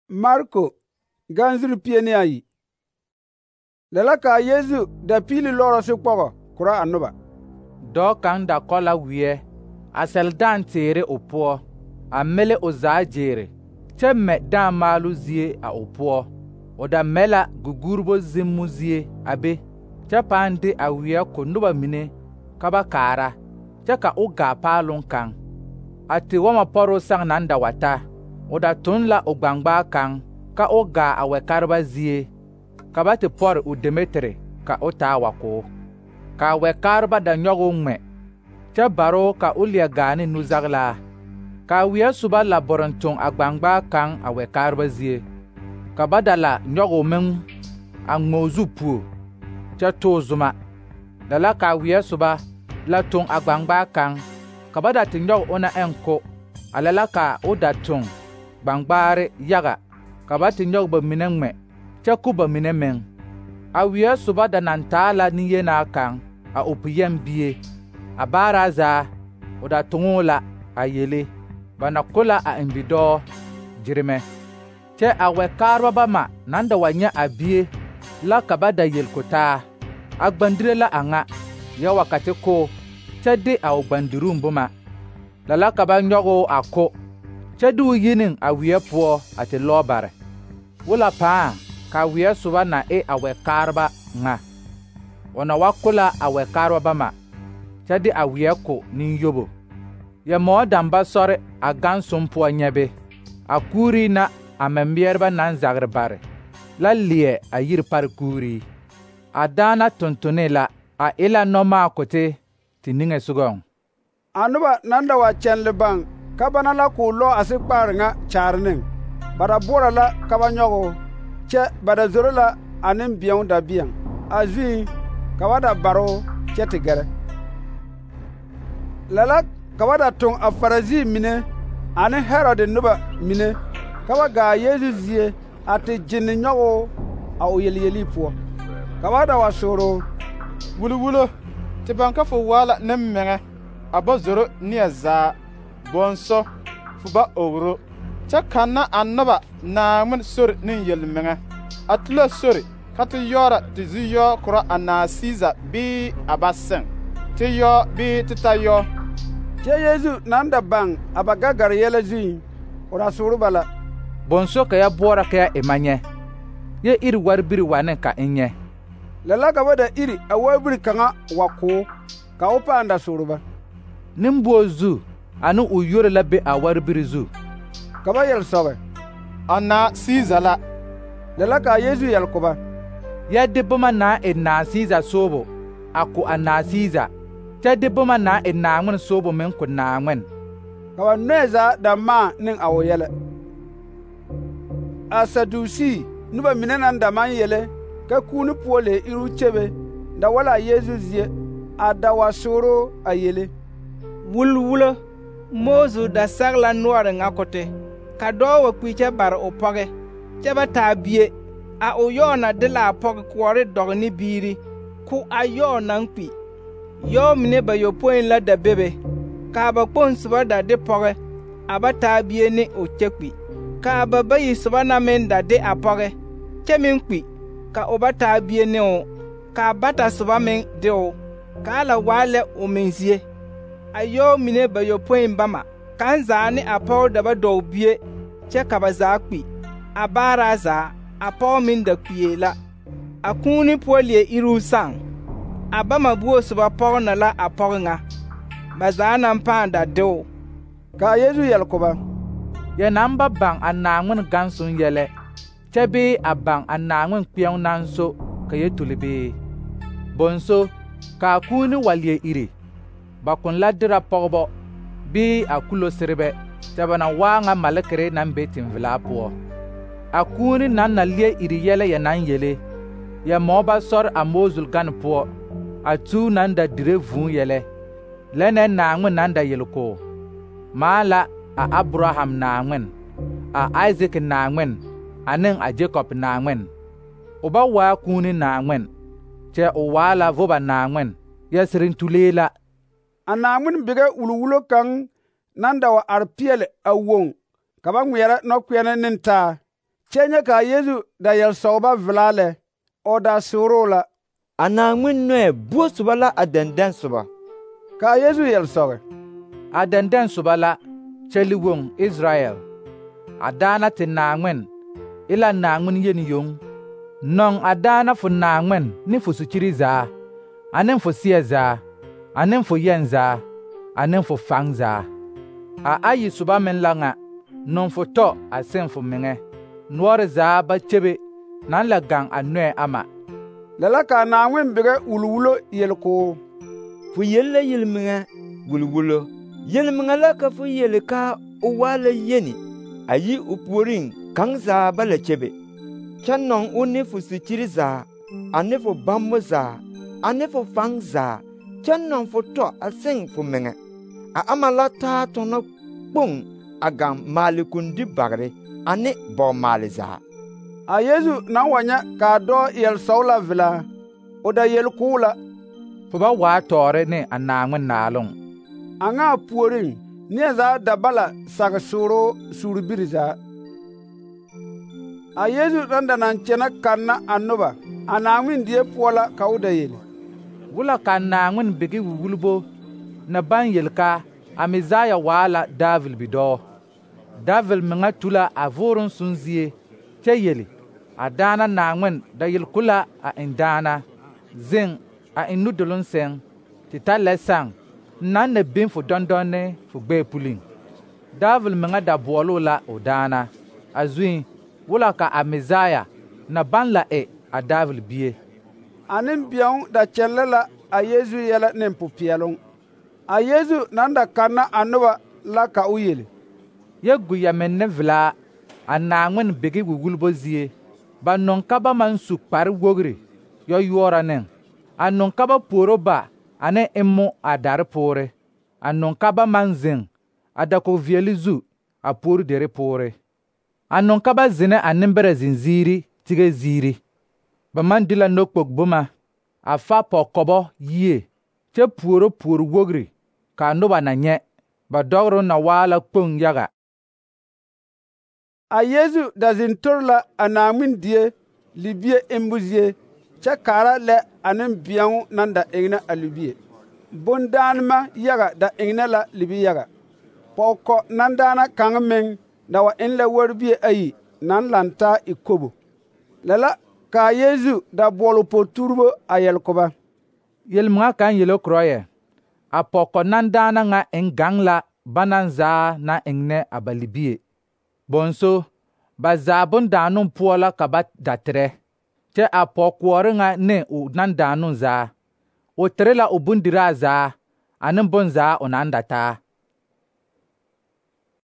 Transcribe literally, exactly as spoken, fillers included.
Marko ganzuri pie ne ayi. Lɛ la kaa Yesu da piili lɔɔrɔ sokpɔgɔ korɔ a noba. Dɔɔ kaŋ da kɔ la weɛ, a sɛle dãã teere o poɔ, a mele o zaa gyeere, kyɛ mɛ dãã maaloo zie a o poɔ. O da mɛ la guguuribo zimmo zie a be, kyɛ pãã de a weɛ ko noba mine ka ba kaara, kyɛ ka o gaa paaloŋ kaŋ. A tewɔmɔ pɔroo sãã naŋ da wa ta, o da toŋ la o gbangbaa kaŋ ka o gaa a wɛkareba zie, ka ba te pɔre o Demetiri ka o taa wa ko. Ka a wɛkaareba da nyɔge o ŋmɛ, kyɛ baroo ka o leɛ gaa ne nuzagelaa. Ka a weɛ soba la bɔrɔn toŋ a gbangbaa kaŋ a wɛkaareba zie, ka ba da la nyɔge o meŋ a ŋmɛ o zu puo, kyɛ too zuma. Da la ka a weɛ soba la toŋ a gbangbaa kaŋ, ka ba da te nyɔge ona ɛŋ ko, a lɛ la ka o da toŋ gbangbaare yaga, ka ba te nyɔge ba mine ŋmɛ, kyɛ ko ba mine meŋ. A weɛ soba da naŋ taa la nenyenaa kaŋ, a o piyɛŋ bie. A baaraa zaa, o da toŋoo la a yele, ba na ko la a eŋ bidɔɔ gyeremɛ. Kyɛ a wɛkaareba bama naŋ da wa nyɛ a bie la ka ba da yel ko taa, a gbandire la a ŋa, yɛ wa ka te ko, kyɛ de a o gbandiruŋ boma. La la ka ba nyɔge o a ko, kyɛ de o yi ne a weɛ poɔ a te lɔɔ bare. Wola pãã ka a weɛ soba na e a wɛkaareba ŋa. O na wa ko la a wɛkaareba bama, kyɛ de a weɛ ko nenyobo. Yɛ-moɔ dãmba sɔre a gãnsoŋ poɔ nyɛ be, a kuurii na a mɛmeɛreba naŋ zagre bare la leɛ a yiri pare kuurii. A daana tontone la, a e la nɔmaakote te niŋesogɔŋ. A noba naŋ da wa kyɛnle baŋ ka bana la k'o lɔ a sekpaare ŋa kyaare neŋ. Ba da boɔrɔ la ka ba nyɔge o, kyɛ ba da zoro la a nembeɛo dabeɛŋ. A zuŋ ka ba da bare o kyɛ te gɛrɛ. Lɛ la ka ba da toŋ a Farisii mine ane Herode noba mine ka ba gaa Yeezu zie a te gyenne nyɔge o a o yelyelii poɔ. Ka ba da wa soore o: Wulwulo, te baŋ ka fo waa la nembɛŋɛ, a ba zoro neɛ zaa, bõnso, fo ba ogro, kyɛ kanna a noba Naaŋmen sori ne yelmeŋɛ. A tu la sori ka te yɔɔra te zu yɔɔ korɔ a naa Siisa bii a ba seŋ, te yɔɔ bii te ta yɔɔ. Kyɛ Yeezu naŋ da baŋ a ba gagare yɛlɛ zuŋ, o da soore ba la: Bõnso ka yɛ boɔrɔ ka yɛ e ma nyɛ, yɛ iri warbiri wane ka n nyɛ. Lɛ la ka ba da iri a warbiri kaŋa wa ko, ka o pãã da soore ba: Nembuo zu ane o yore la be a warbiri zu? Ka ba yel sɔbe: A naa Siisa la. Lɛ la kaa Yeezu yel ko ba: Yɛ de boma naŋ e naa Siisa soobo a ko a naa Siisa, kyɛ de boma naŋ e Naaŋmen soobo meŋ ko Naaŋmen. Ka ba nɔɛ zaa da maa ne a o yɛlɛ. A Sadusi noba mine naŋ da maŋ yele ka kuuni poɔ lee iruu kyebe da wa la a Yeezu zie a da wa sooro a yele: Wulwulo, Moosu da sɛge la noɔre ŋa kote, ka dɔɔ wa kpi kyɛ bare o pɔge, kyɛ ba taa bie. A o yɔɔ na de la a pɔge koɔre dɔge ne biiri, ko a yɔɔ naŋ kpi. Yɔɔ mine bayɔpõi la da bebe, kaa ba kpoŋ soba da de pɔge, a ba taa bie ne o kyɛ kpi. Kaa ba bayi soba na meŋ da de a pɔge, kyɛ meŋ kpi, ka o ba taa bie ne o, kaa bata soba meŋ de o, kaa la waa lɛ o meŋ zie. A yɔɔ mine bayɔpõi bama, kaŋ zaa ne a pɔge da ba dɔge bie, kyɛ ka ba zaa kpi. A baaraa zaa, a pɔge meŋ da kpie la. A kuuni poɔ leɛ iruu sãã. A bama buo soba pɔge na la a pɔge ŋa. Ba zaa naŋ pãã da de o. Kaa Yeezu yel ko ba: Yɛ naŋ ba baŋ a Naaŋmen gãnsoŋ yɛlɛ, kyɛ bee a baŋ a Naaŋmen kpeɛŋ naŋ so ka yɛ tuli bee? Bõnso, kaa kuuni wa leɛ iri, ba kõn la derɛ pɔgebɔ bii a kuloserebɛ, kyɛ ba na waa ŋa malekere naŋ be tenvelaa poɔ. A kuuni naŋ na leɛ iri yɛlɛ yɛ naŋ yele, yɛ-moɔ ba sɔre a Moosul gane poɔ, a tuu naŋ da dire vūū yɛlɛ, lɛnɛ Naaŋmen naŋ da yele ko: Maa la a Abraham Naaŋmen, a Aizik Naaŋmen, ane a Jakob Naaŋmen. O ba waa kuuni Naaŋmen, kyɛ o waa la voba Naaŋmen, yɛ sereŋ tulee la. A Naaŋmen bigɛ wulwulo kaŋ naŋ da wa are peɛle a woŋ ka ba ŋmeɛrɛ nɔkpeɛne ne taa, Kyɛ nyɛ kaa Yesu da yel-sɔgeba velaa lɛ, o da sooroo la. A Naaŋmen nɔɛ buo soba la a dɛndɛn soba. Kaa Yesu yel-sɔgɛ: A dɛndɛn soba la, kyɛli-woŋ Israyɛl. A daana te Naaŋmen e la Naaŋmen yeni yoŋ. Nɔŋ a daana fo Naaŋmen ne fo sukyiri zaa, ane fo seɛ zaa, ane fo yɛn zaa, ane fo faŋ zaa. A ayi soba meŋ la ŋa: nɔŋ fo tɔ a seŋ fo meŋɛ, noɔre zaa ba kyebe naŋ la gaŋ a nɔɛ ama. Lɛ la kaa Naaŋmen bigɛ wulwulo yel koo: Fo yel la yelmeŋɛ wulwulo. Yelmeŋɛ la ka fo yele kaa o waa la yeni, a yi o puoriŋ kaŋ zaa ba la kyebe. Kyɛ nɔŋ o ne fo sikyiri zaa, ane fo bammo zaa, ane fo faŋ zaa, kyɛ nɔŋ fo tɔ a seŋ fo meŋɛ. A ama la taa tɔnɔ kpoŋ a gaŋ maalekundi bagre ane bɔg-maale zaa. A Yesu naŋ wa nyɛ kaa dɔɔ yel-sɔg la velaa, o da yel koo la: Fo ba waa tɔɔre ne a Naaŋmen naaloŋ. A ŋa a puoriŋ, neɛ zaa da ba la sage sooroo suurbiri zaa. A Yesu naŋ da naŋ kyɛnɛ kanna a noba a Naaŋmen die poɔ la ka o da yele: Wula ka Naaŋmen bigi wulwulbo na baŋ yel kaa a Mesaya waa la David bidɔɔ. David meŋa tu la a vʋʋroŋ sõn zie, kyɛ yele: a daana Naaŋmen da yel-ko la a eŋ daana: zeŋ a eŋ nudoloŋ sɛŋ, tɩ ta lɛ saŋ, naŋ na biŋ fo dɔndɔnne fo gbɛɛ puliŋ. David meŋa da boɔloo la o daana. A zuiŋ, wula ka a Mesaya na baŋ la e a David bie. A nembeɛŋ da kyɛllɛ la a Yesu yɛlɛ ne popeɛloŋ. A Yesu naŋ da kanna a noba la ka o yele: Yɛ gu yɛmenne velaa a Naaŋmen bigi wulwulbo zie. Ba nɔŋ ka ba maŋ su kpare-wogri yɔyuɔɔra neŋ. A nɔŋ ka ba puoro ba ane emmo a dare poore. A nɔŋ ka ba maŋ zeŋ a dakog-veɛle zu a puori dere poore. A nɔŋ ka ba zenɛ a nembɛrɛ zenziiri tige ziiri. Ba maŋ de la nɔkpog boma a fa pɔgkɔbɔ yie, kyɛ puoro puor-wogri ka a noba na nyɛ. Ba dɔgroŋ na waa la kpoŋ yaga. A Yesu da zeŋ tori la a Naaŋmen die libie embo zie, kyɛ kaara lɛ a nembeɛŋ naŋ da ennɛ a libie. Bondaanema yaga da ennɛ la libi-yaga. Pɔgkɔ nandaana kaŋ meŋ da wa eŋ la warbie ayi naŋ lantaa e kobo. Lɛ la kaa Yesu da boɔle o po-tuurebo a yɛl ko ba: Yel-meŋa kaŋ yele korɔ yɛ: a pɔgkɔ nandaana ŋa eŋ gaŋ la banaŋ zaa naŋ ennɛ a ba libie. Bõnso, ba zaa bondaanoŋ poɔ la ka ba da terɛ, kyɛ a pɔg-koɔre ŋa ne o nandaanoŋ zaa, o tere la o bondiraa zaa ane bonzaa o naŋ da taa.